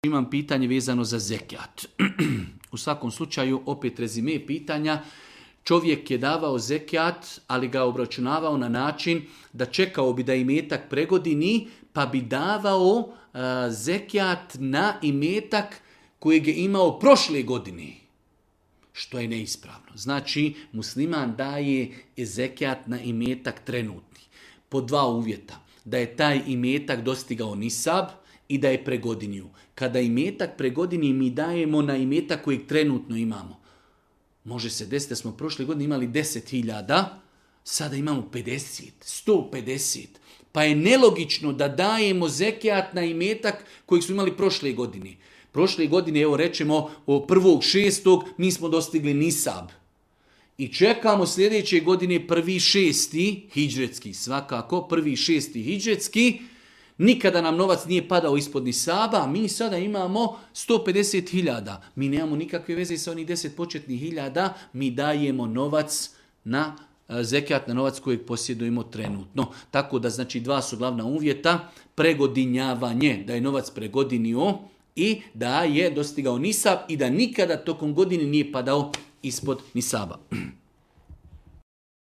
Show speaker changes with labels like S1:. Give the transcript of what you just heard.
S1: Imam pitanje vezano za zekijat. U svakom slučaju, opet rezime pitanja. Čovjek je davao zekijat, ali ga obračunavao na način da čekao bi da imetak pregodini, pa bi davao zekijat na imetak kojeg je imao prošle godine. Što je neispravno. Znači, musliman daje zekijat na imetak trenutni. Po dva uvjeta. Da je taj imetak dostigao nisab i da je pregodinio. Kada imetak pregodini, mi dajemo na imetak kojeg trenutno imamo. Može se desiti da smo prošle godine imali 10.000, sada imamo 50, 150. Pa je nelogično da dajemo zekijat na imetak kojeg smo imali prošle godine. Prošle godine, evo rečemo, 1.6. mi smo dostigli nisab. I čekamo sljedeće godine 1.6. hidžretski, svakako 1.6. hidžretski. Nikada nam novac nije padao ispod nisaba, a mi sada imamo 150.000. Mi nemamo nikakve veze sa onih 10 početnih hiljada, mi dajemo novac na zekijat, na novac kojeg posjedujemo trenutno. Tako da, znači, dva su glavna uvjeta: pregodinjavanje, da je novac pregodinio, i da je dostigao nisab i da nikada tokom godine nije padao ispod nisaba.